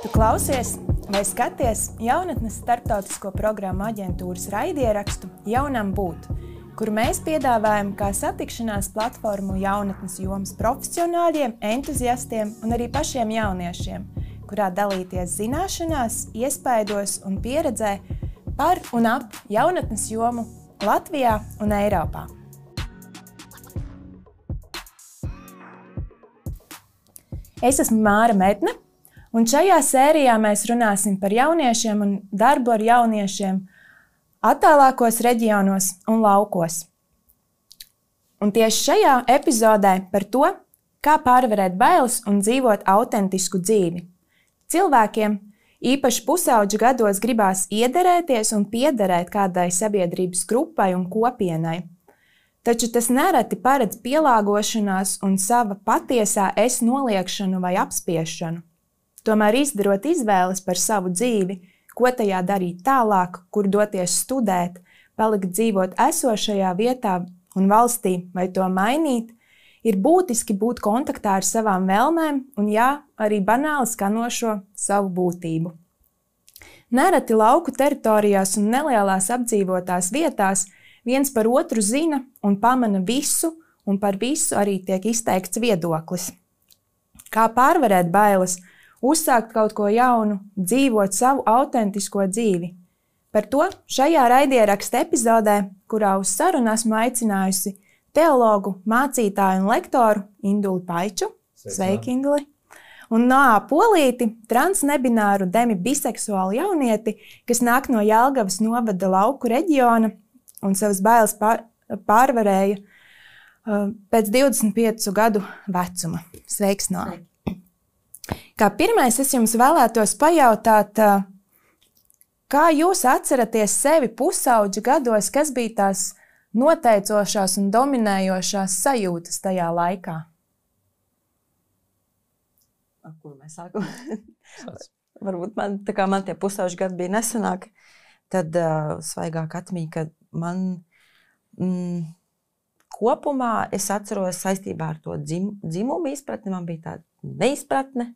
Tu klausies vai skaties jaunatnes starptautisko programmu aģentūras raidierakstu Jaunam būt, kur mēs piedāvājam kā satikšanās platformu jaunatnes jomas profesionāļiem, entuziastiem un arī pašiem jauniešiem, kurā dalīties zināšanās, iespaidos un pieredzē par un ap jaunatnes jomu Latvijā un Eiropā. Es esmu Māra Medne, un šajā sērijā mēs runāsim par jauniešiem un darbu ar jauniešiem attālākos reģionos un laukos. Un tieši šajā epizodē par to, kā pārvarēt bailes un dzīvot autentisku dzīvi. Cilvēkiem, īpaši pusauģu gados, gribās iederēties un piederēt kādai sabiedrības grupai un kopienai. Taču tas nereti paredz pielāgošanās un sava patiesā es noliekšanu vai apspiešanu. Tomēr izdarot izvēles par savu dzīvi, ko tajā darīt tālāk, kur doties studēt, palikt dzīvot esošajā vietā un valstī vai to mainīt, ir būtiski būt kontaktā ar savām vēlmēm un, arī banāli skanošo savu būtību. Nereti lauku teritorijās un nelielās apdzīvotās vietās viens par otru zina un pamana visu, un par visu arī tiek izteikts viedoklis. Kā pārvarēt bailes, uzsākt kaut ko jaunu, dzīvot savu autentisko dzīvi? Par to šajā raidieraksta epizodē, kurā uz sarunu esmu aicinājusi teologu, mācītāju un lektoru Induli Paiču. Sveiki, Induli! Un Noā Polīti, transnebināru demibiseksuālu jaunieti, kas nāk no Jelgavas novada lauku reģiona un savas bailes pārvarēja pēc 25 gadu vecuma. Sveiks, Noā! Kā pirmais es jums vēlētos pajautāt, kā jūs atceraties sevi pusauģa gados, kas bija tās noteicošās un dominējošās sajūtas tajā laikā? Ar kuru mēs sākam? Varbūt man tie pusauģi gadi bija nesenāki, tad svaigāk atmiņa, ka man kopumā es atceros saistībā ar to dzimumu izpratni, man bija tāda neizpratne,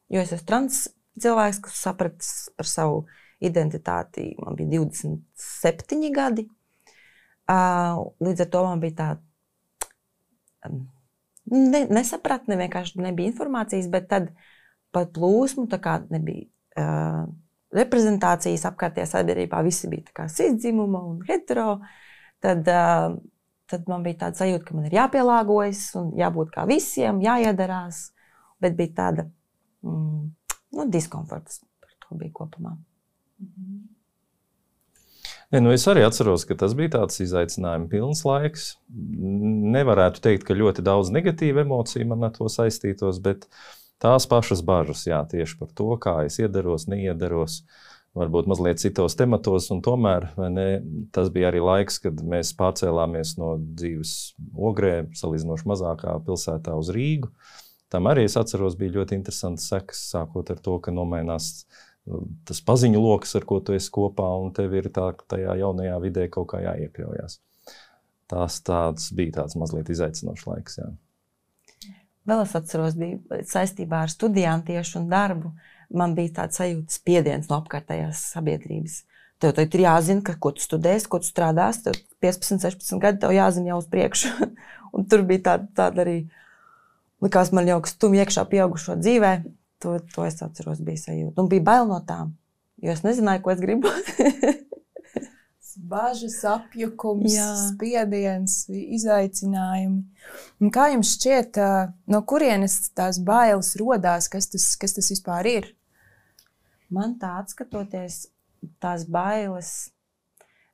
jo es esmu trans cilvēks, kas sapratis par savu identitāti, man bija 27 gadi. Līdz ar to man bija tāda nesapratne, vienkārši nebija informācijas, bet tad pat plūsmu, tā kā nebija reprezentācijas apkārtējā sabiedrībā, visi bija tā kā cisdzimuma un hetero, tad man bija tāda sajūta, ka man ir jāpielāgojas un jābūt kā visiem, jāiedarās, bet bija tāda diskomforts par to bija kopumā. Es arī atceros, ka tas bija tāds izaicinājumi pilns laiks. Nevarētu teikt, ka ļoti daudz negatīvu emociju man ar to saistītos, bet tās pašas bažas, tieši par to, kā es iedaros, neiedaros, varbūt mazliet citos tematos, un tomēr tas bija arī laiks, kad mēs pārcēlāmies no dzīves Ogrē, salīdzinoši mazākā pilsētā uz Rīgu. Tam arī es atceros, bija ļoti interesants sekas, sākot ar to, ka nomainās tas paziņu loks, ar ko tu esi kopā, un tev ir tajā jaunajā vidē kaut kā jāiekļaujās. Tāds bija tāds mazliet izaicinošs laiks, Vēl es atceros, bija saistībā ar studijām tieši un darbu. Man bija tāds sajūtas spiediens no apkārtējās sabiedrības. Tev ir jāzina, ko tu studēsi, ko tu strādāsi, tev 15, 16 gadi, tev jāzina jau uz priekšu. Un tur bija tāda arī, likās man jau, ka stum iekšā pieaugušo dzīvē. To es atceros, bija sajūta. Un bija bail no tām, jo es nezināju, ko es gribu. Bažas, apjukums, spiediens, izaicinājumi. Un kā jums šķiet, no kurienes tās bailes rodās, kas tas vispār ir? Man tā atskatoties, tās bailes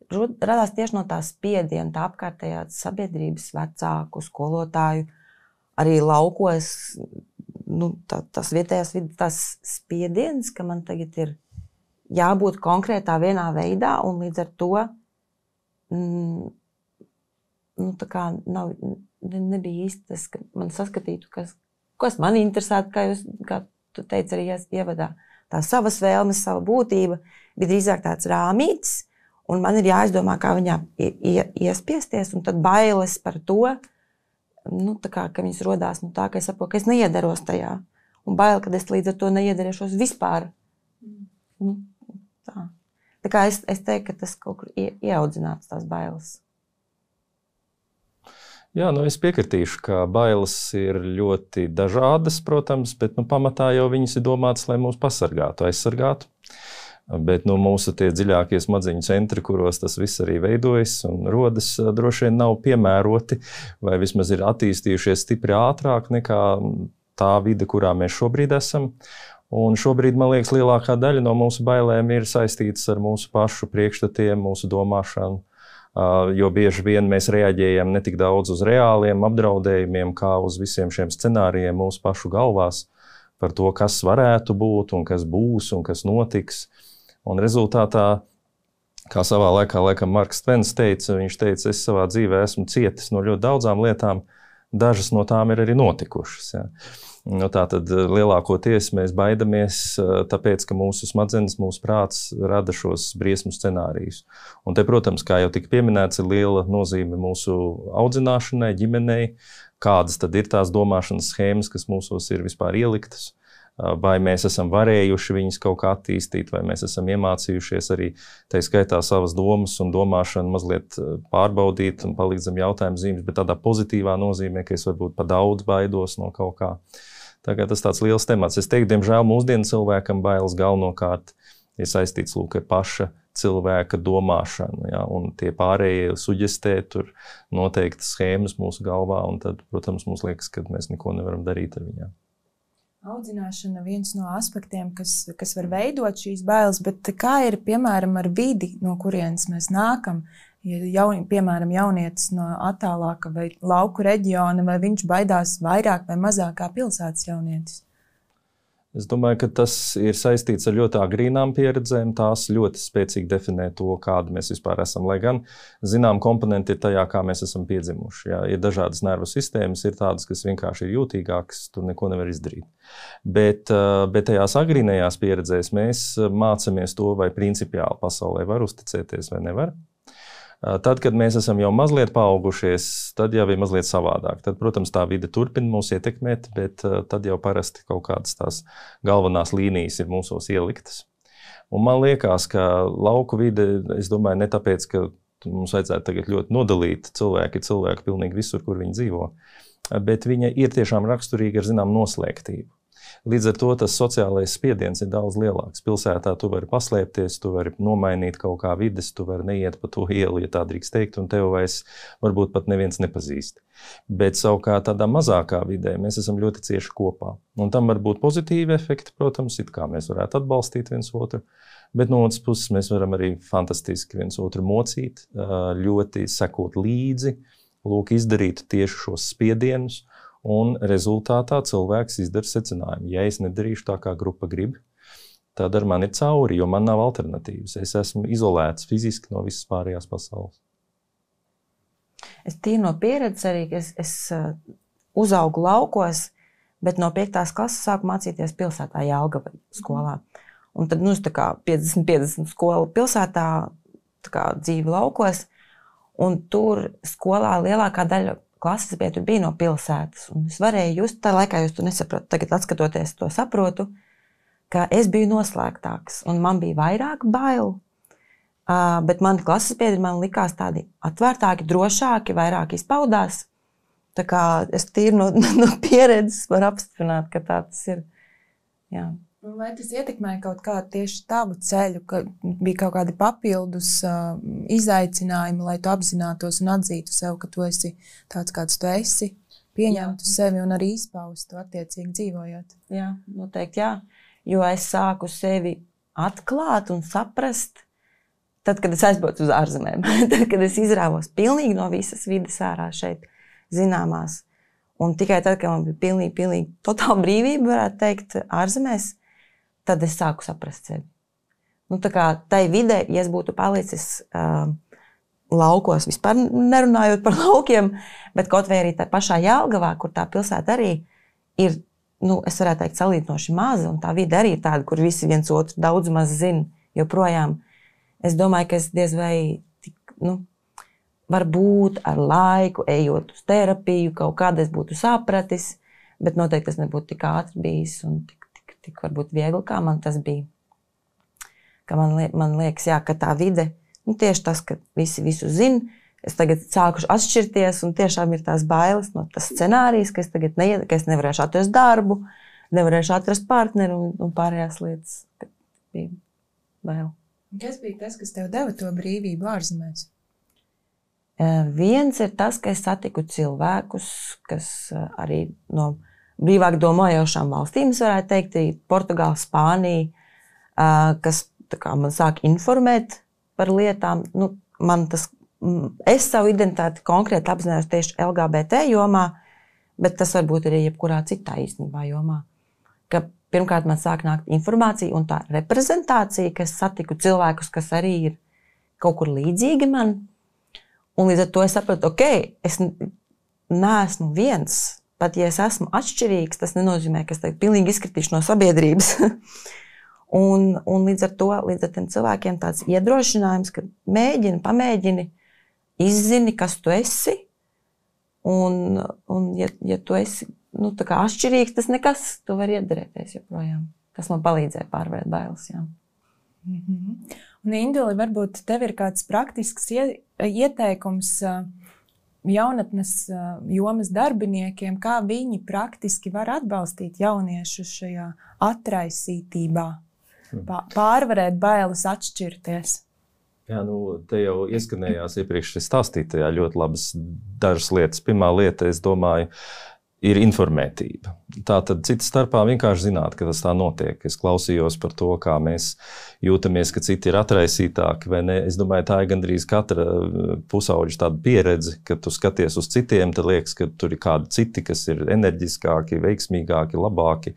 radās tieši no tās spiediena, tā apkārtējā sabiedrības vecāku, skolotāju, arī laukos, tas vietējās vidas, tas spiediens, ka man tagad ir jābūt konkrētā vienā veidā, un līdz ar to nebija īsti tas, ka man saskatītu, kas man interesētu, kā tu teici arī ievadā. Tā savas vēlmes, sava būtība bija drīzāk tāds rāmītis, un man ir jāizdomā, kā viņā iespiesties, un tad bailes par to, ka viņas rodās tā, ka es saprotu, ka es neiedaros tajā. un bail, kad es līdz ar to neiedarīšos vispār. Nu, tā. Tā kā es teiktu, ka tas kaut kur ieaudzināts tās bailes. Jā, es piekritīšu, ka bailes ir ļoti dažādas, protams, bet pamatā jau viņas ir domātas, lai mūs pasargātu, aizsargātu. Bet mūsu tie dziļākie smadzeņu centri, kuros tas viss arī veidojas un rodas, droši vien nav piemēroti vai vismaz ir attīstījušies stipri ātrāk nekā tā vide, kurā mēs šobrīd esam. Un šobrīd, man liekas, lielākā daļa no mūsu bailēm ir saistītas ar mūsu pašu priekšstatiem, mūsu domāšanu, jo bieži vien mēs reaģējam ne tik daudz uz reāliem apdraudējumiem, kā uz visiem šiem scenārijiem mūsu pašu galvās par to, kas varētu būt un kas būs un kas notiks. Un rezultātā, kā savā laikā Marks Tvens teica, viņš teica, es savā dzīvē esmu cietis no ļoti daudzām lietām, dažas no tām ir arī notikušas. Ja. Tātad lielākoties mēs baidamies, tāpēc, ka mūsu smadzenes, mūsu prāts rada šos briesmu scenārijus. Un te, protams, kā jau tika pieminēts, ir liela nozīme mūsu audzināšanai, ģimenei, kādas tad ir tās domāšanas schēmas, kas mūsos ir vispār ieliktas. Vai mēs esam varējuši viņus kaut kā attīstīt, vai mēs esam iemācījušies arī, tā skaitā, savas domas un domāšanu mazliet pārbaudīt un palikt zem jautājumu zīmes, bet tādā pozitīvā nozīmē, ka es varbūt pa daudz baidos no kaut kā. Tagad tas tāds liels temats. Es teiktu, diemžēl mūsdienu cilvēkam bailes galvenokārt ir saistīts ar paša cilvēka domāšanu, ja, un tie pārējie suģestē tur noteiktas schēmas mūsu galvā, un tad, protams, mums liekas, ka mēs neko nevaram darīt ar viņām. Audzināšana viens no aspektiem, kas var veidot šīs bailes, bet kā ir, piemēram, ar vidi, no kurienes mēs nākam? Ja piemēram, jaunietis no attālāka vai lauku reģiona, vai viņš baidās vairāk vai mazāk kā pilsētas jaunietis? Es domāju, ka tas ir saistīts ar ļoti agrīnām pieredzēm. Tās ļoti spēcīgi definē to, kāda mēs vispār esam. Lai gan, zinām, komponenti ir tajā, kā mēs esam piedzimuši. Jā, ir dažādas nervu sistēmas, ir tādas, kas vienkārši ir jūtīgākas, tur neko nevar izdarīt. Bet tajās agrīnajās pieredzēs mēs mācāmies to, vai principiāli pasaulē var uzticēties vai nevar. Tad, kad mēs esam jau mazliet paaugušies, tad jau ir mazliet savādāk. Tad, protams, tā vide turpina mūs ietekmēt, bet tad jau parasti kaut kādas tās galvenās līnijas ir mūsos ieliktas. Un man liekas, ka lauku vide, es domāju, ne tāpēc, ka mums vajadzētu tagad ļoti nodalīt cilvēki pilnīgi visur, kur viņi dzīvo, bet viņa ir tiešām raksturīga ar zinām noslēgtību. Līdz ar to tas sociālais spiediens ir daudz lielāks. Pilsētā tu vari paslēpties, tu vari nomainīt kaut kā vides, tu vari neiet pa to ielu, ja tā drīkst teikt, un tev vairs varbūt pat neviens nepazīst. Bet savukārt tādā mazākā vidē mēs esam ļoti cieši kopā. Un tam var būt pozitīvi efekti, protams, it kā mēs varētu atbalstīt viens otru, bet no otras puses mēs varam arī fantastiski viens otru mocīt, ļoti sekot līdzi, izdarīt tieši šos spiedienus. Un rezultātā cilvēks izdara secinājumu. Ja es nedarīšu tā, kā grupa grib, tad ar mani ir cauri, jo man nav alternatīvas. Es esmu izolēts fiziski no visas pārējās pasaules. Es tīri no pieredzes arī, ka es uzaugu laukos, bet no 5. klases sāku mācīties pilsētā Jelgavas skolā. Un tad, tā kā 50-50 skola pilsētā, tā kā dzīve laukos, un tur skolā lielākā daļa klases bija no pilsētas. Un es varēju just, tā laikā jūs to nesapratu, tagad atskatoties to saprotu, ka es biju noslēgtāks un man bija vairāk bailu, bet mani klases biedri man likās tādi atvērtāki, drošāki, vairāk izpaudās. Tā kā es tīri no pieredzes varu apstiprināt, ka tā tas ir. Jā. Vai tas ietekmēja kaut kā tieši tavu ceļu, ka bija kaut kādi papildus izaicinājumi, lai tu apzinātos un atzītu sev, ka tu esi tāds, kāds tu esi, pieņemtu sevi un arī izpaustu attiecīgi dzīvojot? Jā, noteikti jā, jo es sāku sevi atklāt un saprast, tad, kad es aizbraucu uz ārzemēm, tad, kad es izrāvos pilnīgi no visas vides ārā šeit zināmās. Un tikai tad, kad man bija pilnīgi totāla brīvība, varētu teikt, ārzemēs, tad es sāku saprast sevi. Tā kā tai vidē, ja es būtu palicis laukos, vispār nerunājot par laukiem, bet kaut vai arī tā pašā Jelgavā, kur tā pilsēta arī ir, es varētu teikt, salīdzinoši maza, un tā vide arī ir tāda, kur visi viens otru daudz maz zina joprojām. Es domāju, ka es diez vai varbūt ar laiku, ejot uz terapiju, kaut kādā es būtu sapratis, bet noteikti tas nebūtu tik ātri bijis un tik varbūt viegli, kā man tas bija. Ka man liekas, jā, ka tā vide, tieši tas, ka visi visu zina, es tagad sākuši atšķirties un tiešām ir tās bailes no tas scenārijs, ka es tagad ka es nevarēšu atrast darbu, nevarēšu atrast partneru un pārējās lietas, ka bija bail. Kas bija tas, kas tev deva to brīvību ārzemēs? Viens ir tas, ka es satiku cilvēkus, kas arī no brīvāk domājošām valstīm, es varētu teikt, Portugāla, Spānija, kas man sāk informēt par lietām. Es savu identitāti konkrēti apzinājos tieši LGBT jomā, bet tas varbūt arī jebkurā citā īstenībā jomā. Ka pirmkārt man sāk nākt informācija un tā reprezentācija, ka es satiku cilvēkus, kas arī ir kaut kur līdzīgi man. Un līdz ar to es sapratu, es neesmu viens. Pat ja es esmu atšķirīgs, tas nenozīmē, ka es tagad pilnīgi izkritīšu no sabiedrības. un līdz ar tiem cilvēkiem tāds iedrošinājums, ka pamēģini, izzini, kas tu esi. Un ja tu esi tā kā atšķirīgs, tas nekas, tu vari iedarēties joprojām. Tas man palīdzēja pārvarēt bailes, jā. Un Induli, varbūt tev ir kāds praktisks ieteikums jaunatnes jomas darbiniekiem, kā viņi praktiski var atbalstīt jauniešus šajā atraisītībā, pārvarēt bailes atšķirties? Jā, te jau ieskanējās iepriekš stāstītajā ļoti labas dažas lietas. Pirmā lieta, es domāju, ir informētība. Tātad cita starpā vienkārši zināt, ka tas tā notiek. Es klausījos par to, kā mēs jūtamies, ka citi ir atraisītāki vai ne. Es domāju, tā ir gandrīz katra pusauģa tāda pieredze, ka tu skaties uz citiem, tad liekas, ka tur ir kādi citi, kas ir enerģiskāki, veiksmīgāki, labāki.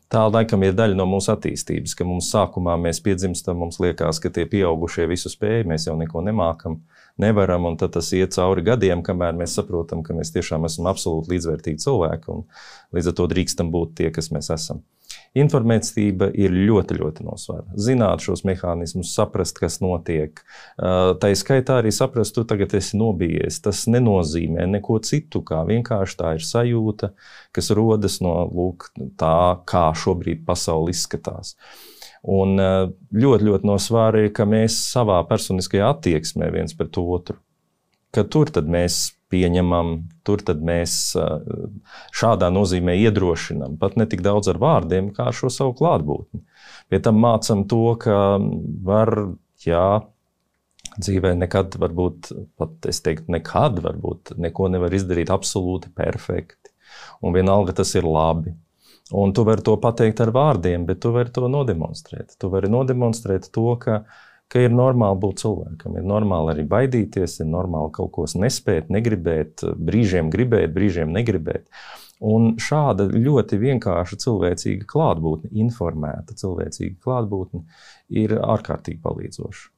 Tā laikam ir daļa no mūsu attīstības, ka mums sākumā mēs piedzimstam, mums liekas, ka tie pieaugušie visu spēj, mēs jau neko nemākam, nevaram, un tad tas iet cauri gadiem, kamēr mēs saprotam, ka mēs tiešām esam absolūti līdzvērtīgi cilvēki, un līdz ar to drīkstam būt tie, kas mēs esam. Informētība ir ļoti, ļoti nosvara. Zināt šos mehānismus, saprast, kas notiek. Tā skaitā arī saprast, tu tagad esi nobijies. Tas nenozīmē neko citu, kā vienkārši tā ir sajūta, kas rodas no tā, kā šobrīd pasaule izskatās. Un ļoti, ļoti nosvara ir, ka mēs savā personiskajā attieksmē viens pret otru, ka tur tad mēs pieņemam, tur tad mēs šādā nozīmē iedrošinam, pat ne tik daudz ar vārdiem, kā ar šo savu klātbūtni. Pie tam mācam to, ka var, dzīvē nekad, varbūt, pat es teiktu, nekad, varbūt, neko nevar izdarīt absolūti perfekti. Un vienalga tas ir labi. Un tu vari to pateikt ar vārdiem, bet tu vari to nodemonstrēt. Tu vari nodemonstrēt to, ka ir normāli būt cilvēkam, ir normāli arī baidīties, ir normāli kaut ko nespēt, negribēt, brīžiem gribēt, brīžiem negribēt. Un šāda ļoti vienkārša cilvēcīga klātbūtne, informēta cilvēcīga klātbūtne ir ārkārtīgi palīdzoša.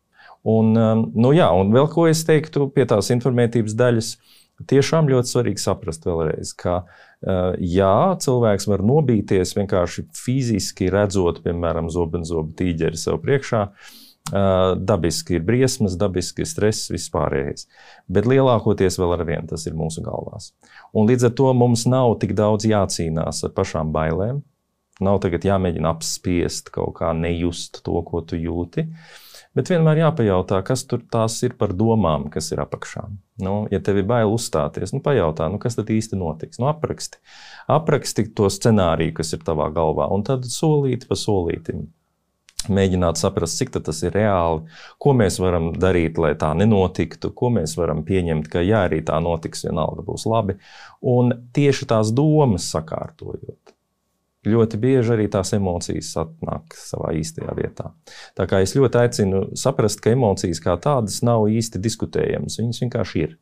Un vēl ko es teiktu pie tās informētības daļas, tiešām ļoti svarīgi saprast vēlreiz, ka cilvēks var nobīties vienkārši fiziski redzot, piemēram, zobenzobu tīģeri sev priekšā. Dabiski ir briesmas, dabiski ir stress, vispārējais. Bet lielākoties vēl ar vienu tas ir mūsu galvās. Un līdz ar to mums nav tik daudz jācīnās ar pašām bailēm. Nav tagad jāmēģina apspiest kaut kā nejust to, ko tu jūti. Bet vienmēr jāpajautā, kas tur tās ir par domām, kas ir apakšā. Ja tev ir bail uzstāties, pajautā, kas tad īsti notiks. Apraksti to scenāriju, kas ir tavā galvā, un tad solīti pa solītim. Mēģināt saprast, cik tas ir reāli, ko mēs varam darīt, lai tā nenotiktu, ko mēs varam pieņemt, ka arī tā notiks, vienalga būs labi. Un tieši tās domas sakārtojot. Ļoti bieži arī tās emocijas atnāk savā īstajā vietā. Tā kā es ļoti aicinu saprast, ka emocijas kā tādas nav īsti diskutējamas, viņas vienkārši ir.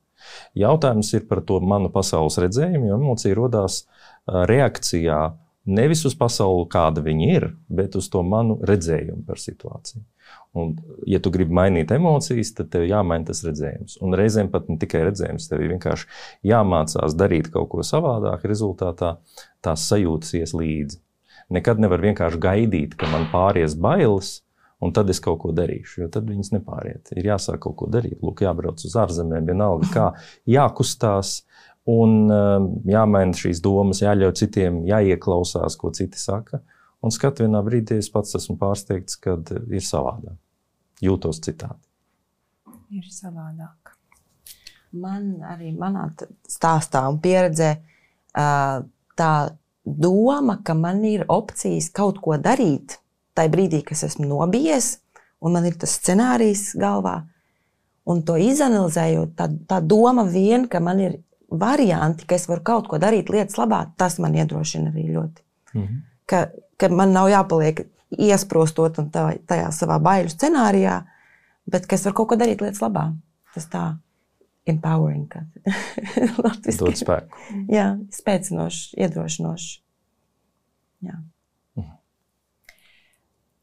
Jautājums ir par to manu pasaules redzējumu, jo emocija rodās reakcijā nevis uz pasauli, kāda viņa ir, bet uz to manu redzējumu par situāciju. Un, ja tu gribi mainīt emocijas, tad tev jāmaina tas redzējums. Un reizēm pat ne tikai redzējums, tev ir vienkārši jāmācās darīt kaut ko savādāk, rezultātā tās sajūtas ies līdzi. Nekad nevar vienkārši gaidīt, ka man pāries bailes, un tad es kaut ko darīšu, jo tad viņas nepāriet. Ir jāsāk kaut ko darīt, jābrauc uz ārzemēm, vienalga kā, jākustās. Un jāmaina šīs domas, jāļauj citiem, jāieklausās, ko citi saka. Un skat vienā brīdī es pats esmu pārsteigts, kad ir savādāk. Jūtos citādi. Ir savādāk. Man arī manā stāstā un pieredzē tā doma, ka man ir opcijas kaut ko darīt tajā brīdī, kas esmu nobijies, un man ir tas scenārijs galvā. Un to izanalizējot, tā doma vien, ka man ir varianti, ka es varu kaut ko darīt lietas labā, tas man iedrošina arī ļoti. Ka man nav jāpaliek iesprostot un tajā savā baiļu scenārijā, bet ka es varu kaut ko darīt lietas labā. Tas tā empowering. Dod spēku. Jā, spēcinoši, iedrošinoši. Jā.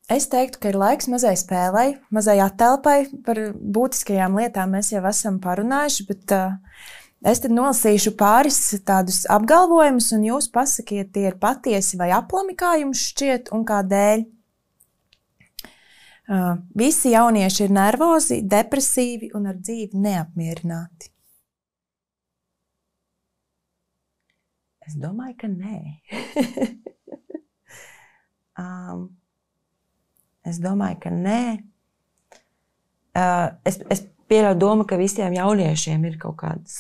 Es teiktu, ka ir laiks mazai spēlei, mazai attēlpai. Par būtiskajām lietām mēs jau esam parunājuši, bet es tad nolasīšu pāris tādus apgalvojumus, un jūs pasakiet, tie ir patiesi vai aplami, kā jums šķiet, un kādēļ. Visi jaunieši ir nervozi, depresīvi un ar dzīvi neapmierināti. Es domāju, ka nē. Es domāju, ka nē. Es pieļauju domu, ka visiem jauniešiem ir kaut kādas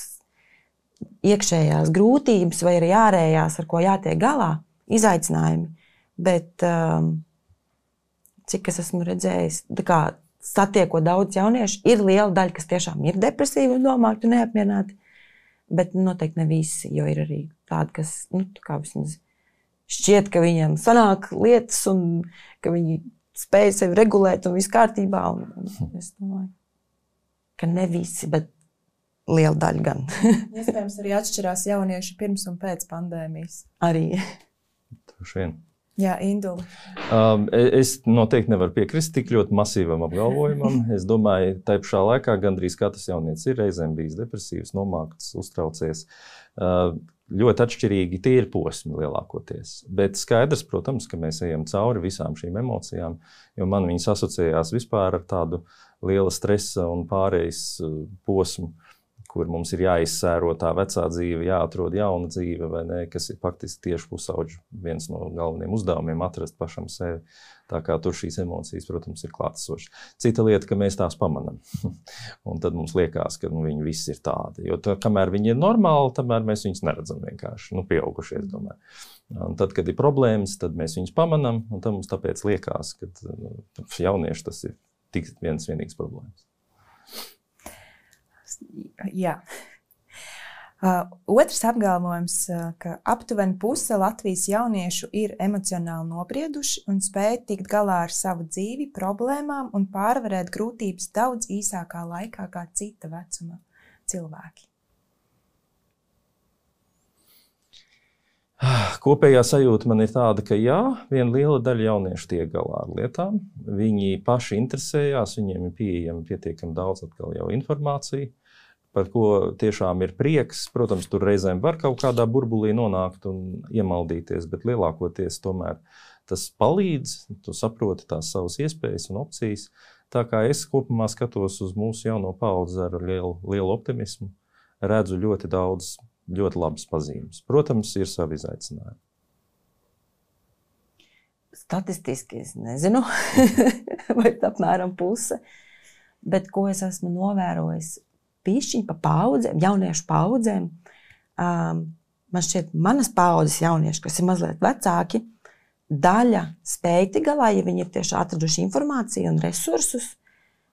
iekšējās grūtības vai arī ārējās, ar ko jātiek galā, izaicinājumi. Bet cik es esmu redzējis, satiekot daudz jauniešu, ir liela daļa, kas tiešām ir depresīvi un domāti un neapmierināti. Bet noteikti ne visi, jo ir arī tādi, kas vismaz šķiet, ka viņiem sanāk lietas un ka viņi spēja sevi regulēt un viss kārtībā. Un es domāju, ka ne visi, bet liela daļa gan. Iespējams, arī atšķirās jaunieši pirms un pēc pandēmijas. Arī. Droši vien. Jā, Indula. Es noteikti nevaru piekrist tik ļoti masīvam apgalvojumam. Es domāju, tai pašā laikā gandrīz katrs jaunietis ir reizēm bijis depresīvs, nomākts, uztraucies. Ļoti atšķirīgi tie ir posmi lielākoties. Bet skaidrs, protams, ka mēs ejam cauri visām šīm emocijām, jo man viņas asociējās vispār ar tādu liela stresa un pārejas posmu, kur mums ir jāizsēro tā vecā dzīve, jāatrod jauna dzīve, vai ne, kas ir faktiski tieši pusauģu viens no galvenajiem uzdevumiem atrast pašam sevi. Tā kā tur šīs emocijas, protams, ir klātesošas. Cita lieta, ka mēs tās pamanam. Un tad mums liekas, ka viņi visi ir tādi. Jo kamēr viņi ir normāli, tamēr mēs viņus neredzam vienkārši. Pieaugušie, es domāju. Un tad, kad ir problēmas, tad mēs viņus pamanam, un tad mums tāpēc liekas, ka jaunieši tas ir tik vienīgs problēmas. Jā. Otrs apgalvojums, ka aptuveni puse Latvijas jauniešu ir emocionāli nobrieduši un spēj tikt galā ar savu dzīvi, problēmām un pārvarēt grūtības daudz īsākā laikā kā cita vecuma cilvēki. Kopējā sajūta man ir tāda, ka jā, viena liela daļa jauniešu tiek galā ar lietām. Viņi paši interesējās, viņiem ir pieejama pietiekami daudz atkal jau informācija, par ko tiešām ir prieks. Protams, tur reizēm var kaut kādā burbulī nonākt un iemaldīties, bet lielākoties tomēr tas palīdz, tu saproti tās savas iespējas un opcijas. Tā kā es kopumā skatos uz mūsu jauno paudzi ar lielu optimismu, redzu ļoti daudz ļoti labas pazīmes. Protams, ir savi izaicinājumi. Statistiski es nezinu, vai apmēram puse, bet ko es esmu novērojis pišķiņ pa paudzēm, jauniešu paudzēm, man šķiet manas paudzes jaunieši, kas ir mazliet vecāki, daļa spēj tik galā, ja viņi ir tieši atraduši informāciju un resursus,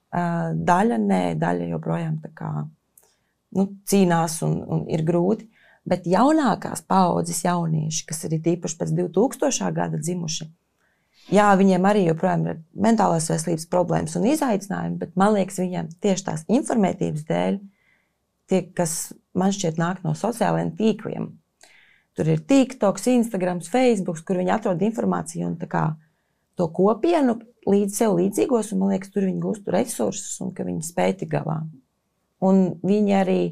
daļa nē, daļa joprojām tā kā cīnās un ir grūti, bet jaunākās paaudzes jaunieši, kas ir tīpaši pēc 2000. Gada dzimuši, jā, viņiem arī joprojām ir mentālās veselības problēmas un izaicinājumi, bet man liekas, viņiem tieši tās informētības dēļ, tie, kas man šķiet nāk no sociālajiem tīkliem. Tur ir TikToks, Instagrams, Facebooks, kur viņi atrod informāciju un tā kā to kopienu līdz sev līdzīgos, un man liekas, tur viņi gūst resursus un ka viņi spēj tik galā. Un viņi arī,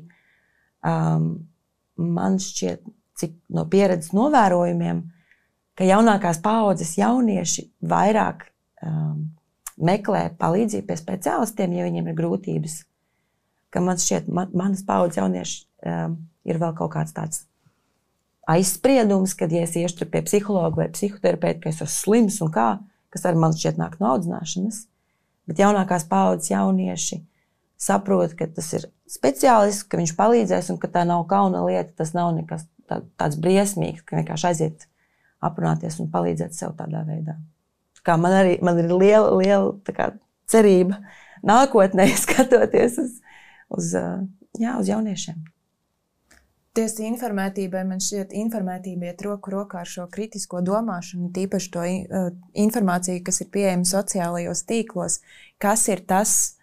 man šķiet, cik no pieredzes novērojumiem, ka jaunākās paaudzes jaunieši vairāk meklē palīdzību pie speciālistiem, ja viņiem ir grūtības. Ka man šķiet, manas paaudzes jaunieši ir vēl kaut kāds tāds aizspriedums, kad, ja es iešu pie psihologa vai psihoterapeita, ka es esmu slims un kā, kas ar man šķiet nāk no audzināšanas. Bet jaunākās paaudzes jaunieši saprot, ka tas ir speciālists, ka viņš palīdzēs un ka tā nav kauna lieta, tas nav nekas tāds briesmīgs, ka vienkārši aiziet aprunāties un palīdzēt sev tādā veidā. Kā man ir liela tā kā cerība nākotnē skatoties uz jauniešiem. Tieši informētībai, man šķiet, informētība iet roku rokā ar šo kritisko domāšanu, tīpaši to informāciju, kas ir pieejama sociālajos tīklos, kas ir tas,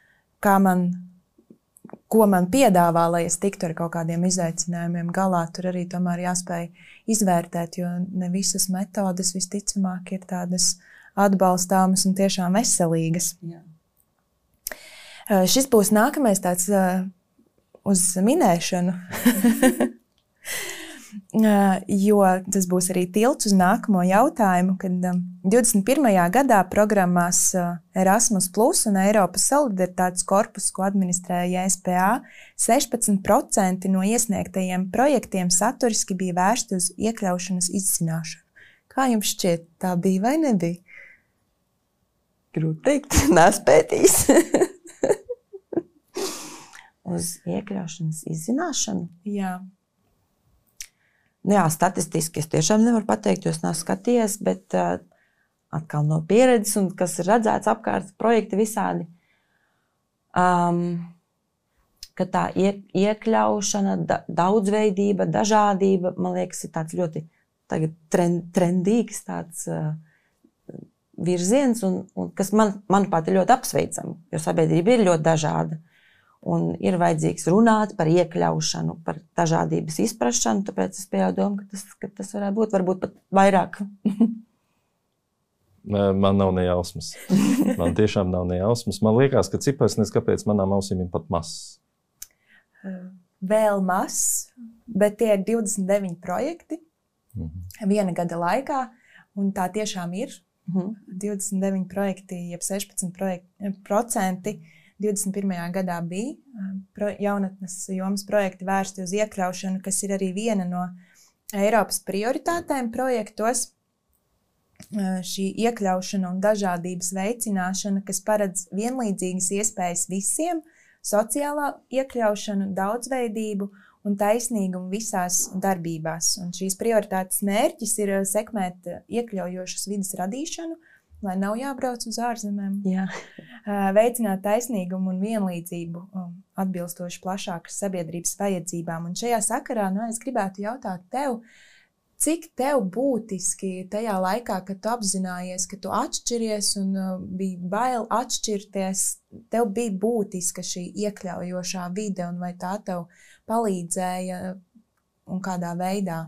ko man piedāvā, lai es tiktu ar kaut kādiem izaicinājumiem galā. Tur arī tomēr jāspēj izvērtēt, jo ne visas metodes visticamāk ir tādas atbalstāmas un tiešām veselīgas. Jā. Šis būs nākamais tāds uz minēšanu, jo tas būs arī tilts uz nākamo jautājumu, kad 21. gadā programmās Erasmus Plus un Eiropas solidaritātes korpus, ko administrē JSPA, 16% no iesniegtajiem projektiem saturiski bija vērsti uz iekļaušanas izzināšanu. Kā jums šķiet, tā bija vai nebija? Grūti teikt, nespētīs. Uz iekļaušanas izzināšanu? Jā. Jā, statistiski es tiešām nevaru pateikt, jo es neesmu skatījies, bet atkal no pieredzes un kas ir redzēts apkārt projekti visādi, ka tā iekļaušana, daudzveidība, dažādība, man liekas, ir tāds ļoti tagad trendīgs tāds virziens, un kas manuprāt ir ļoti apsveicami, jo sabiedrība ir ļoti dažāda. Un ir vajadzīgs runāt par iekļaušanu, par dažādības izprašanu, tāpēc es piedomu, ka tas varētu būt pat vairāk. Man nav ne jausmas. Man tiešām nav ne jausmas. Man liekas, ka cipars nes kāpēc manām ausīm ir pat mazs. Vēl mazs, bet tie ir 29 projekti viena gada laikā, un tā tiešām ir. 29 projekti, jeb 16%. 21. gadā bija jaunatnes jomas projekti vērsti uz iekļaušanu, kas ir arī viena no Eiropas prioritātēm projektos. Šī iekļaušana un dažādības veicināšana, kas paredz vienlīdzīgas iespējas visiem, sociālā iekļaušanu, daudzveidību un taisnīgumu visās darbībās. Un šīs prioritātes mērķis ir sekmēt iekļaujošas vides radīšanu, lai nav jābrauc uz ārzemēm, veicināt taisnīgumu un vienlīdzību atbilstoši plašākas sabiedrības vajadzībām. Un šajā sakarā es gribētu jautāt tev, cik tev būtiski tajā laikā, kad tu apzinājies, ka tu atšķiries un bija bail atšķirties, tev bija būtiska šī iekļaujošā vide un vai tā tev palīdzēja un kādā veidā?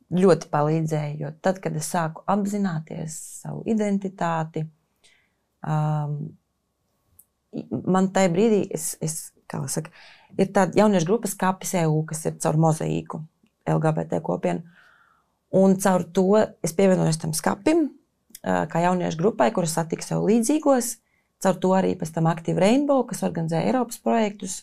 Ļoti palīdzēja, jo tad, kad es sāku apzināties savu identitāti, man tajā brīdī ir tāda jauniešu grupa Skapis EU, kas ir caur mozaīku LGBT kopienu. Un caur to es pievienojos tam skapim, kā jauniešu grupai, kuras satika sev līdzīgos. Caur to arī pēc tam Active Rainbow, kas organizē Eiropas projektus.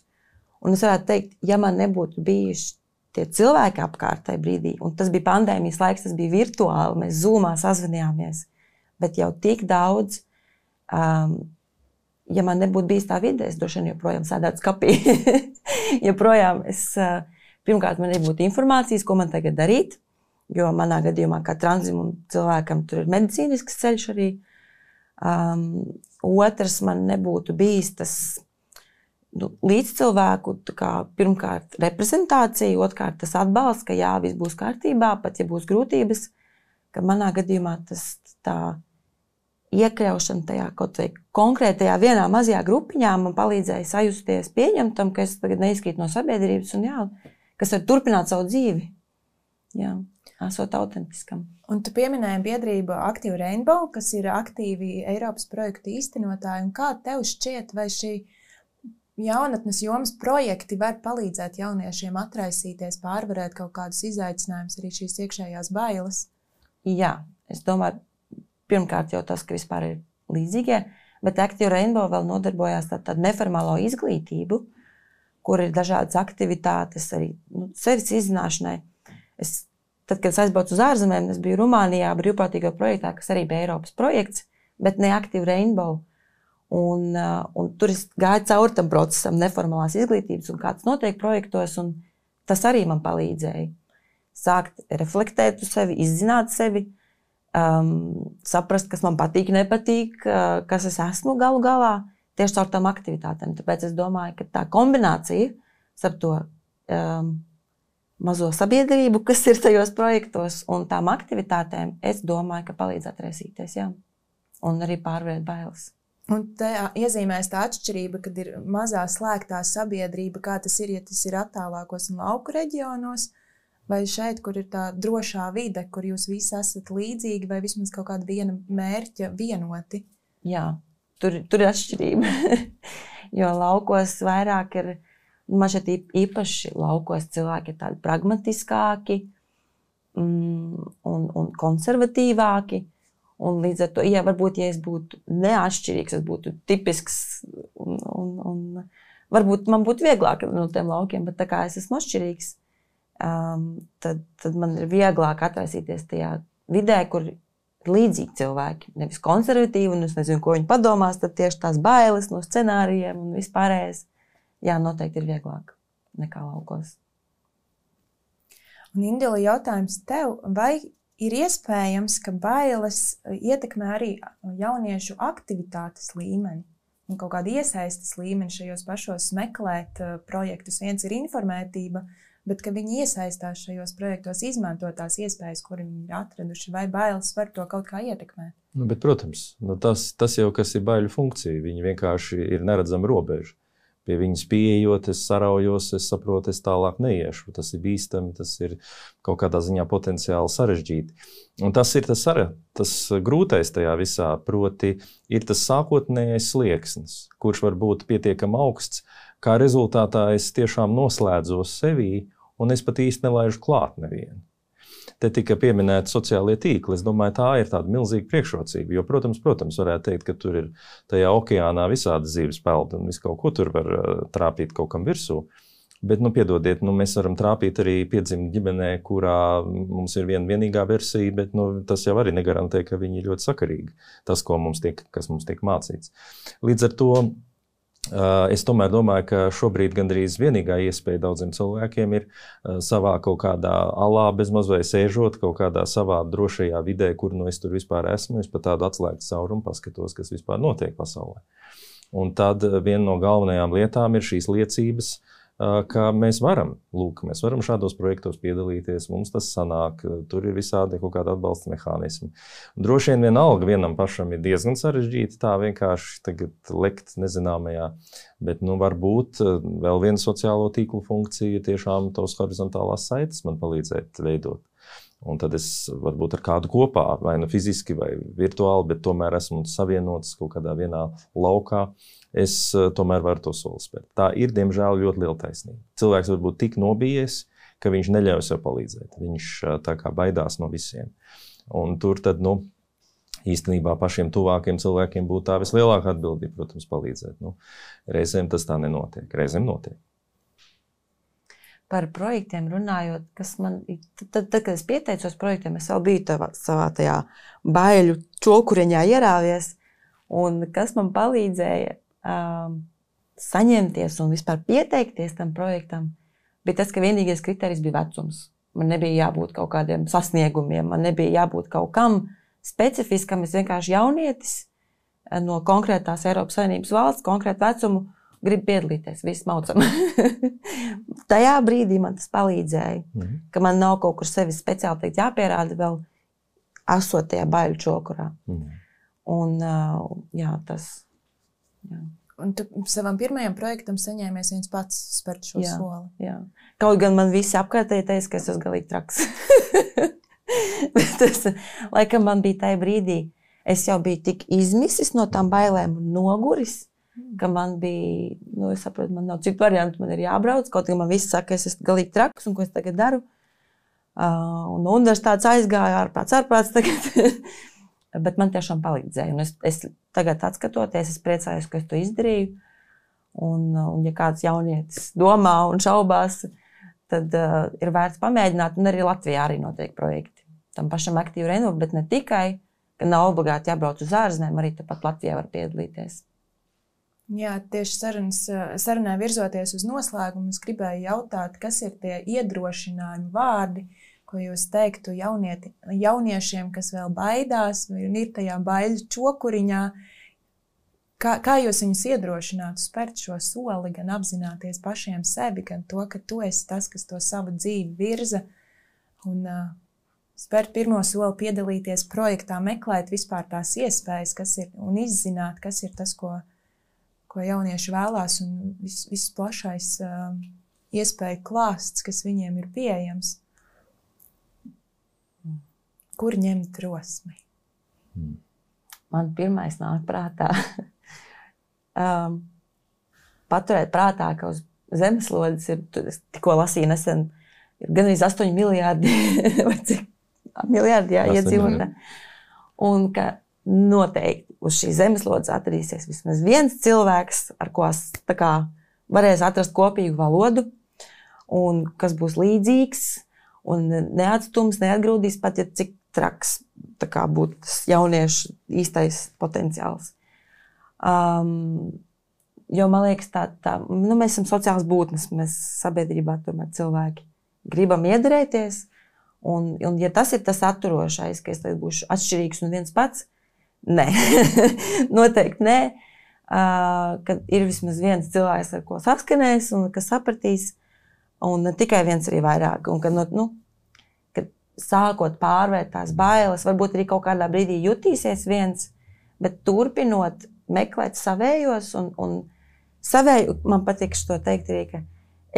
Un es varētu teikt, ja man nebūtu bijuši tie cilvēki apkārt tajā brīdī, un tas bija pandēmijas laiks, tas bija virtuāli, mēs Zoomā sazvanījāmies, bet jau tik daudz, ja man nebūtu bijis tā vide, es droši vien joprojām sēdētu skapī. Joprojām pirmkārt, man nebūtu informācijas, ko man tagad darīt, jo manā gadījumā kā transzimumu cilvēkam tur ir medicīnisks ceļš arī. Otrs, man nebūtu bijis tas līdzcilvēku, pirmkārt reprezentācija, otrkārt tas atbalsts, ka jā, viss būs kārtībā, pat ja būs grūtības, ka manā gadījumā tas tā iekļaušana tajā kaut vai konkrētajā vienā mazajā grupiņā man palīdzēja sajusties pieņemtam, ka es tagad neizkrītu no sabiedrības un jā, kas var turpināt savu dzīvi, jā, esot autentiskam. Un tu pieminēji biedrību Active Rainbow, kas ir aktīvi Eiropas projektu īstenotāji, un kā tev šķiet, vai šī jaunatnes jomas projekti var palīdzēt jauniešiem atraisīties, pārvarēt kaut kādus izaicinājumus, arī šīs iekšējās bailes? Jā, es domāju, pirmkārt jau tas, ka vispār ir līdzīgie, bet Active Rainbow vēl nodarbojās tādu neformālo izglītību kur ir dažādas aktivitātes, arī sevis izzināšanai. Tad, kad es aizbraucu uz ārzemēm, es biju Rumānijā brīvprātīgā projektā, kas arī bija Eiropas projekts, bet ne Active Rainbow. Un tur es gāju cauri tam procesam neformālās izglītības un kā tas notiek projektos, un tas arī man palīdzēja. Sākt reflektēt uz sevi, izzināt sevi, saprast, kas man patīk, nepatīk, kas es esmu galu galā, tieši caur tām aktivitātēm. Tāpēc es domāju, ka tā kombinācija starp to mazo sabiedrību, kas ir tajos projektos, un tām aktivitātēm, es domāju, ka palīdz atraisīties, jā. Un arī pārvarēt bailes. Un te iezīmēs tā atšķirība, kad ir mazā slēgtā sabiedrība, kā tas ir, ja tas ir attālākos un lauku reģionos, vai šeit, kur ir tā drošā vide, kur jūs visi esat līdzīgi, vai vismaz kaut kāda viena mērķa vienoti? Jā, tur ir atšķirība, jo laukos vairāk ir, man šeit īpaši laukos cilvēki ir tādi pragmatiskāki un konservatīvāki. Un līdz ar to, varbūt, ja es būtu neatšķirīgs, es būtu tipisks un varbūt man būtu vieglāk no tiem laukiem, bet tā kā es esmu atšķirīgs, tad man ir vieglāk atraisīties tajā vidē, kur ir līdzīgi cilvēki, nevis konservatīvi, un es nezinu, ko viņi padomās, tad tieši tās bailes no scenārijiem un vispārējais. Jā, noteikti ir vieglāk nekā laukos. Un Indila, jautājums tev, vai ir iespējams, ka bailes ietekmē arī jauniešu aktivitātes līmeni un kaut kādu iesaistes līmeni šajos pašos meklēt projektus? Viens ir informētība, bet ka viņi iesaistās šajos projektos, izmanto tās iespējas, kuri viņi ir atraduši, vai bailes var to kaut kā ietekmēt? Bet, protams, tas jau, kas ir baiļu funkcija, viņi vienkārši ir neredzama robeža. Pie viņas pieejot, es saraujos, es saprotu, es tālāk neiešu. Tas ir bīstami, tas ir kaut kādā ziņā potenciāli sarežģīti. Un tas ir tas grūtais tajā visā, proti ir tas sākotnējais slieksnis, kurš var būt pietiekami augsts, kā rezultātā es tiešām noslēdzos sevī un es pat īsti nelaižu klāt nevienu. Te tika pieminēti sociālie tīkli. Es domāju, tā ir tāda milzīga priekšrocība. Jo, protams, varētu teikt, ka tur ir tajā okeānā visādi zivs peld un visu kaut ko tur var trāpīt kaut kam virsū. Bet, piedodiet, mēs varam trāpīt arī piedzimt ģimenē, kurā mums ir vienīgā versija, bet tas jau arī negarantē, ka viņi ir ļoti sakarīgi. Tas, kas mums tiek mācīts. Līdz ar to es tomēr domāju, ka šobrīd gandrīz vienīgā iespēja daudziem cilvēkiem ir savā kaut kādā alā bezmaz vai sēžot kaut kādā savā drošajā vidē, kur es tur vispār esmu, es pa tādu atslēgtu caurumu paskatos, kas vispār notiek pasaulē. Un tad viena no galvenajām lietām ir šīs liecības, ka mēs varam šādos projektos piedalīties, mums tas sanāk, tur ir visādi kaut kāda atbalsta mehānismi. Droši vien vienalga vienam pašam ir diezgan sarežģīti tā vienkārši tagad lekt nezināmajā, bet varbūt vēl viena sociālo tīklu funkcija tiešām tos horizontālās saites man palīdzēt veidot. Un tad es varbūt ar kādu kopā, vai fiziski, vai virtuāli, bet tomēr esmu savienots kaut kādā vienā laukā. Es tomēr varu to soli spērt. Tā ir, diemžēl, ļoti liela taisnība. Cilvēks var būt tik nobijies, ka viņš neļauj sev palīdzēt. Viņš tā kā baidās no visiem. Un tur tad, īstenībā pašiem tuvākiem cilvēkiem būtu tā vislielākā atbildība, protams, palīdzēt. Reizēm tas tā nenotiek, reizēm notiek. Par projektiem runājot, kas man, tad, kad es pieteicos projektiem, es vēl biju savā tajā baiļu čokuriņā ierāvies, un kas man palīdzēja saņemties un vispār pieteikties tam projektam, bija tas, ka vienīgais kriterijs bija vecums. Man nebija jābūt kaut kādiem sasniegumiem, man nebija jābūt kaut kam specifiskam, es vienkārši jaunietis no konkrētās Eiropas Savienības valsts, konkrētu vecumu, gribu piedalīties, viss maucam. Tajā brīdī man tas palīdzēja, ka man nav kaut kur sevi speciāli teikt jāpierāda vēl esot tajā baiļu čokurā. Un jā, tas. Jā. Un tu savam pirmajam projektam saņēmies viens pats spērt šo soli. Jā. Kaut gan man visi apkārtēji teica, ka es esmu galīgi traks. Bet tas, laikam man bija tajā brīdī, es jau biju tik izmisis no tām bailēm un noguris, ka man bija, es saprotu, man nav citu variantu, man ir jābrauc, kaut kā man visi saka, ka es esmu galīgi traks un ko es tagad daru. Un universitātes aizgāju, ārprāts tagad. Bet man tiešām palīdzēja. Un es tagad atskatoties, es priecājos, ka es to izdarīju. Un ja kāds jaunietis domā un šaubās, tad ir vērts pamēģināt. Un arī Latvijā arī notiek projekti. Tam pašam Aktīva Renova, bet ne tikai, ka nav obligāti jābrauc uz ārzemēm, arī tāpat Latvijā var piedalīties. Jā, tieši sarunā virzoties uz noslēgumu, es gribēju jautāt, kas ir tie iedrošinājumi vārdi, ko jūs teiktu jauniešiem, kas vēl baidās, vai ir tajā baiļu čokuriņā. Kā jūs viņus iedrošinātu spērt šo soli, gan apzināties pašiem sevi, gan to, ka tu esi tas, kas to savu dzīvi virza, un spērt pirmo soli, piedalīties projektā, meklēt vispār tās iespējas, kas ir, un izzināt, kas ir tas, ko jaunieši vēlās, un viss plašais iespēju klāsts, kas viņiem ir pieejams. Kur ņemt drosmi? Man pirmais nāk prātā. Paturēt prātā, ka uz zemeslodes ir, tikko lasīju nesen, ir gan arī 8 miljārdi, vai cik miljārdi iedzīvotāji. Un ka noteikti uz šīs zemeslodes atradīsies vismaz viens cilvēks, ar ko tā kā varēs atrast kopīgu valodu, un kas būs līdzīgs, un neatstums, neatgrūdīs pat, ja cik traks tā kā būtu tas jauniešu īstais potenciāls. Jo man liekas, mēs esam sociāls būtnes, mēs sabiedrībā tomēr cilvēki gribam iederēties, un ja tas ir tas atturošais, ka es tagad būšu atšķirīgs un viens pats, nē, noteikti nē, kad ir vismaz viens cilvēks, ar ko saskanēs un kas sapratīs, un ne tikai viens arī vairāk, un kad sākot pārvērt tās bailes, varbūt arī kaut kādā brīdī jutīsies viens, bet turpinot meklēt savējos, un savēju, man patīk šo teikt arī, ka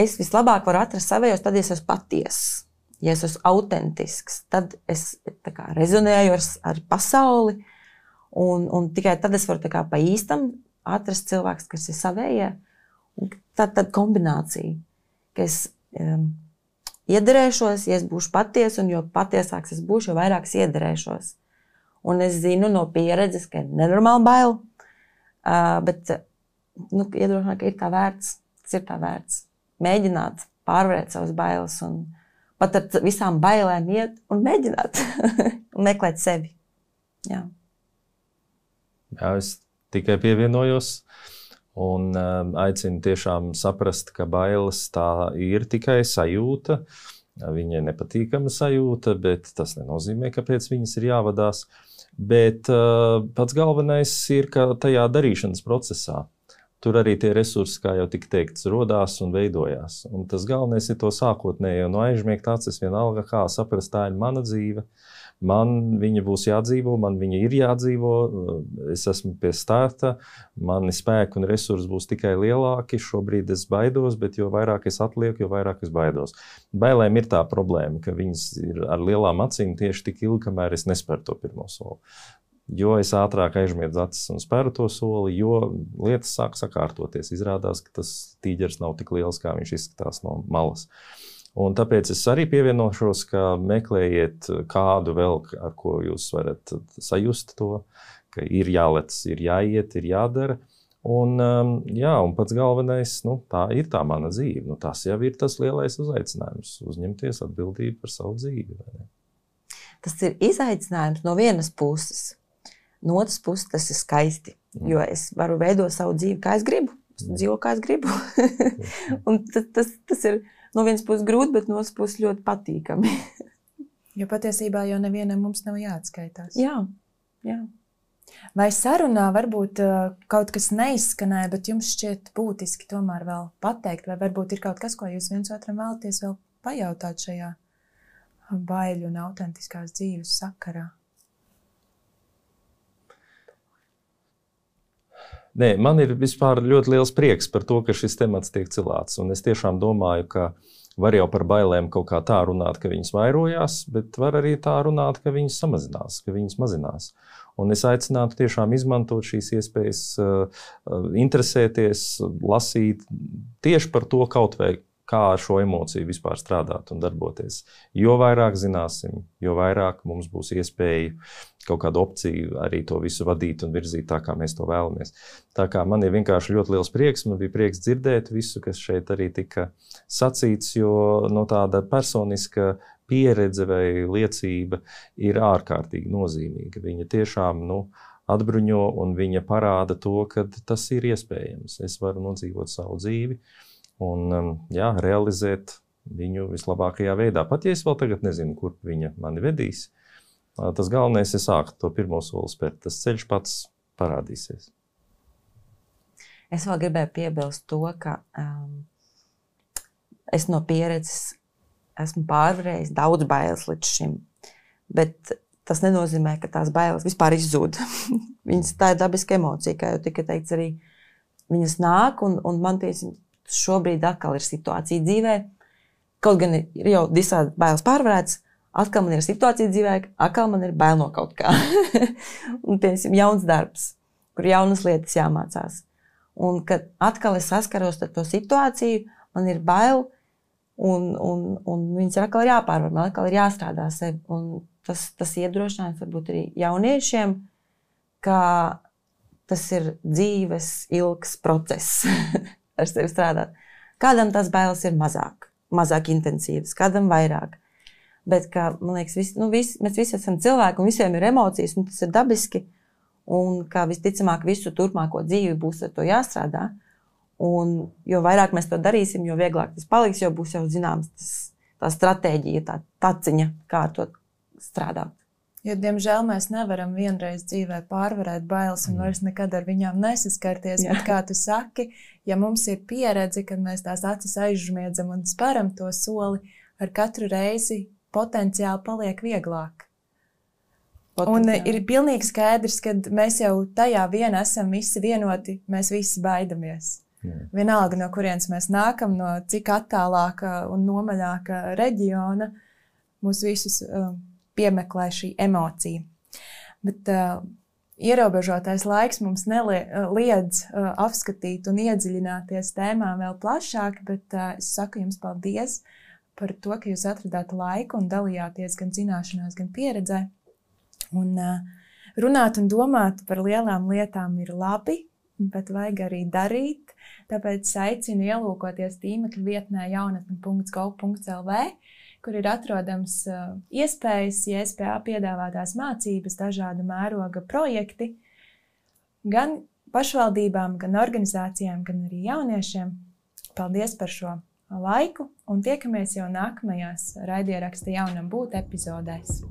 es vislabāk varu atrast savējos, tad es esmu patiess, ja es esmu autentisks, tad es tā kā rezonēju ar pasauli, un tikai tad es varu tā kā pa īstam atrast cilvēks, kas ir savējie, un tad kombinācija, ka es iederēšos, ja es būšu patiesa, un jo patiesāks es būšu, jo vairāk es iederēšos. Un es zinu no pieredzes, ka ir nenormāli bail, bet iedrošināt, ka ir tā vērts, tas ir tā vērts. Mēģināt pārvarēt savas bailes un pat ar visām bailēm iet un mēģināt un meklēt sevi. Jā, es tikai pievienojos un aicinu tiešām saprast, ka bailes tā ir tikai sajūta. Viņai nepatīkama sajūta, bet tas nenozīmē, ka pēc viņas ir jāvadās. Bet pats galvenais ir, ka tajā darīšanas procesā tur arī tie resursi, kā jau tika teikts, rodās un veidojās. Un tas galvenais ir to sākotnējo no aizmiegt acis vienalga, kā saprast, tā ir mana dzīve. Man viņa būs jādzīvo, man viņa ir jādzīvo, es esmu pie starta, mani spēki un resursi būs tikai lielāki, šobrīd es baidos, bet jo vairāk es atlieku, jo vairāk es baidos. Bailēm ir tā problēma, ka viņas ir ar lielām acīm tieši tik ilgi, kamēr es nesperu to pirmo soli. Jo es ātrāk aizmiedzu acis un speru to soli, jo lietas sāk sakārtoties. Izrādās, ka tas tīģeris nav tik liels, kā viņš izskatās no malas. Un tāpēc es arī pievienošos, ka meklējiet kādu vēl, ar ko jūs varat sajust to, ka ir jālec, ir jāiet, ir jādara. Un pats galvenais, tā ir tā mana dzīve. Tas jau ir tas lielais uzaicinājums, uzņemties atbildību par savu dzīvi. Tas ir izaicinājums no vienas puses. No otras puses tas ir skaisti, jo es varu veidot savu dzīvi, kā es gribu. Es dzīvo, kā es gribu. Un tas ir no vienas puses grūti, bet no otras puses ļoti patīkami. Jo patiesībā jau nevienam mums nav jāatskaitās. Jā. Vai sarunā varbūt kaut kas neizskanēja, bet jums šķiet būtiski tomēr vēl pateikt, vai varbūt ir kaut kas, ko jūs viens otram vēlaties vēl pajautāt šajā baiļu un autentiskās dzīves sakarā? Nē, man ir vispār ļoti liels prieks par to, ka šis temats tiek cilāts. Un es tiešām domāju, ka var jau par bailēm kaut kā tā runāt, ka viņas vairojās, bet var arī tā runāt, ka viņas samazinās, ka viņas mazinās. Un es aicinātu tiešām izmantot šīs iespējas, interesēties, lasīt tieši par to kaut vai kā ar šo emociju vispār strādāt un darboties. Jo vairāk zināsim, jo vairāk mums būs iespēja kaut kādu opciju arī to visu vadīt un virzīt tā, kā mēs to vēlamies. Tā kā man ir vienkārši ļoti liels prieks, man bija prieks dzirdēt visu, kas šeit arī tika sacīts, jo no tāda personiska pieredze vai liecība ir ārkārtīgi nozīmīga. Viņa tiešām, atbruņo un viņa parāda to, ka tas ir iespējams. Es varu nodzīvot savu dzīvi un realizēt viņu vislabākajā veidā. Pat ja es vēl tagad nezinu, kur viņa mani vedīs, tas galvenais ir sākt to pirmo soli spērt. Tas ceļš pats parādīsies. Es vēl gribēju piebilst to, ka es no pieredzes esmu pārvarējis daudz bailes līdz šim, bet tas nenozīmē, ka tās bailes vispār izzūd. Tā ir dabiska emocija, kā jau tika teikts arī. Viņas nāk, un man šobrīd atkal ir situācija dzīvē. Kaut gan ir jau visādi bailes pārvarētas, atkal man ir situācija dzīvē, atkal man ir bail no kaut kā. Un, piemēram, jauns darbs, kur jaunas lietas jāmācās. Un, kad atkal es saskaros ar to situāciju, man ir bail, un viņas ir atkal jāpārvar, man atkal ir jāstrādā sevi. Un tas iedrošinājums varbūt arī jauniešiem, ka tas ir dzīves ilgs process ar sevi strādāt. Kādam tās bailes ir mazāk intensīvas, kādam vairāk. Bet, man liekas, mēs visi esam cilvēki un visiem ir emocijas, un tas ir dabiski. Un kā visticamāk visu turpmāko dzīvi būs ar to jāstrādā. Un jo vairāk mēs to darīsim, jo vieglāk tas paliks, jo būs jau zināms tā stratēģija, tā taciņa, kā ar to strādāt. Jo, diemžēl, mēs nevaram vienreiz dzīvē pārvarēt bailes un vairs nekad ar viņām nesaskarties. Bet, kā tu saki, ja mums ir pieredze, kad mēs tās acis aizžmiedzam un sparam to soli, ar katru reizi potenciāli paliek vieglāk. Un ir pilnīgi skaidrs, ka mēs jau tajā vien esam visi vienoti, mēs visi baidamies. Vienalga, no kurienes mēs nākam, no cik attālāka un nomaļāka reģiona, mūs visus piemeklē šī emocija. Bet ierobežotais laiks mums neliedz apskatīt un iedziļināties tēmā vēl plašāk, bet es saku jums paldies par to, ka jūs atradāt laiku un dalījāties gan zināšanās, gan pieredzē. Un runāt un domāt par lielām lietām ir labi, bet vajag arī darīt. Tāpēc aicinu ielūkoties tīmekļa vietnē jaunatne.gov.lv, kur ir atrodams iespējas, JSPA piedāvātās mācības, dažādu mēroga projekti, gan pašvaldībām, gan organizācijām, gan arī jauniešiem. Paldies par šo laiku un tiekamies jau nākamajās raidieraksta Jaunam būt epizodēs.